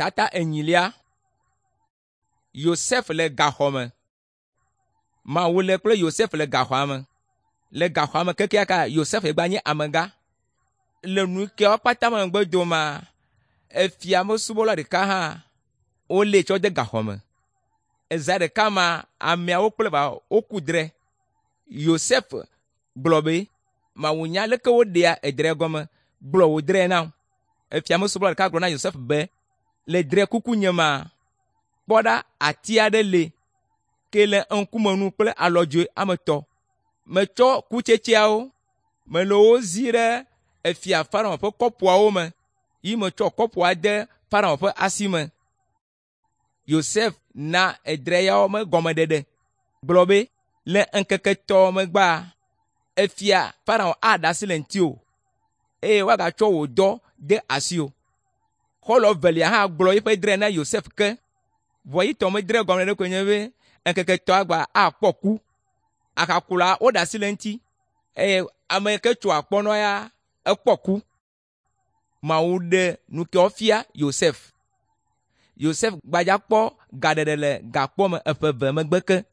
Tata enyilia. Yosef le gaxɔ me. Mawu le kple Yosef le gaxɔa me. Le gaxɔa me kekeakea Yosef gba nye amegã. Le nu keawo kpata megbe domea, efia mesubɔla ɖeka hã wolée tsɔ de gaxɔ me. Eza ɖeka ma ameawo kple va woku dre. Yosef gblɔ be, Mawu nya leke woɖea edre gɔme, gblɔ wò dre nam. Efia mesubɔla ɖeka gblɔ na Yosef be, le dre kuku nye ma, kpɔ ɖa ati aɖe le ke le ŋkume nu kple alɔdzoe ame etɔ̃. Metsɔ kutsetseawo, mele wo zi ɖe efia Farao ƒe kɔpuawo me yi metsɔ kɔpua de Farao ƒe asi me. Yosef na edre yawo me gɔmeɖeɖe gblɔ be, le ŋkeke etɔ̃ megbea, efia Farao aɖe asi le ŋutiwò eye woagatsɔ wò dɔ de asiwò. Xɔlɔ̃ evelia hã gblɔ eƒe dre na Yosef ke. Vɔ yi tɔ medre gɔme ɖe koe nye be ŋkeke etɔ̃a gba akpɔ ku. Ahakula woɖe asi le eŋuti eye ame yi ke tso akpɔnɔ ya ekpɔ ku. Mawu ɖe nu kewo fia Yosef. Yosef gbadza kpɔ gaɖeɖe le gakpɔ me ƒe eve megbe ke.